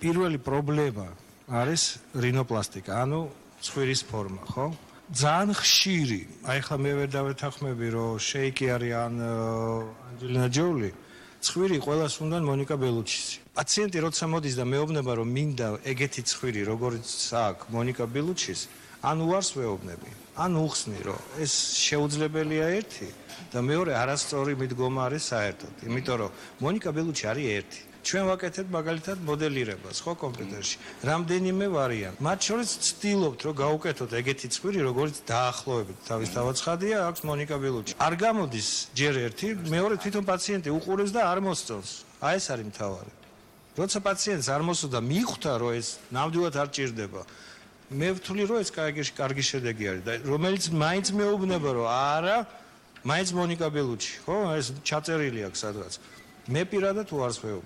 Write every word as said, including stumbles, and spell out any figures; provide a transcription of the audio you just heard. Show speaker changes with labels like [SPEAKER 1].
[SPEAKER 1] პირველი პრობლემა არის რინოპლასტიკა, ანუ ცხვირის ფორმა, ხო? ძალიან ხშირი, აი ხლა მე ვერ დავეთანხმები, რომ შეიკი არის ან ანჯელინა ჯოლი, ცხვირი ყველას უნდა მონიკა ბელუჩისი. პაციენტი როცა მოდის და მეუბნება, რომ მინდა ეგეთი ცხვირი, როგორც აქვს მონიკა ბელუჩის, ან უარს ვეუბნები, ან უხსნი, რომ ეს შეუძლებელია ერთი და მეორე არასწორი მიდგომა არის საერთოდ, იმიტომ რომ მონიკა ბელუჩი არის ერთი. ჩვენ ვაკეთებთ მაგალითად მოდელირებას, ხო, კომპიუტერში. რამდენიმე ვარიანტი. მათ შორის ვცდილობთ, რომ გავუკეთოთ ეგეთი ცხვირი, როგორც დაახლოებით თავის თავაცხადია, აქვს მონიკა ბელუჩი. არ გამოდის ჯერ ერთი, მეორე თვითონ პაციენტი უყურებს და არ მოსწონს. აი ეს არის მთავარი. როცა პაციენტს არ მოსწონს და მიხვდა, რომ ეს ნამდვილად არ ჭირდება, მე ვთვლი, რომ ეს კარგი კარგი შედეგი არის და რომელიც მაინც მეუბნება, რომ არა, მაინც მონიკა ბელუჩი, ხო, ეს ჩაწერილი აქვს სადღაც. მე პირადად უარს ვეუბნები.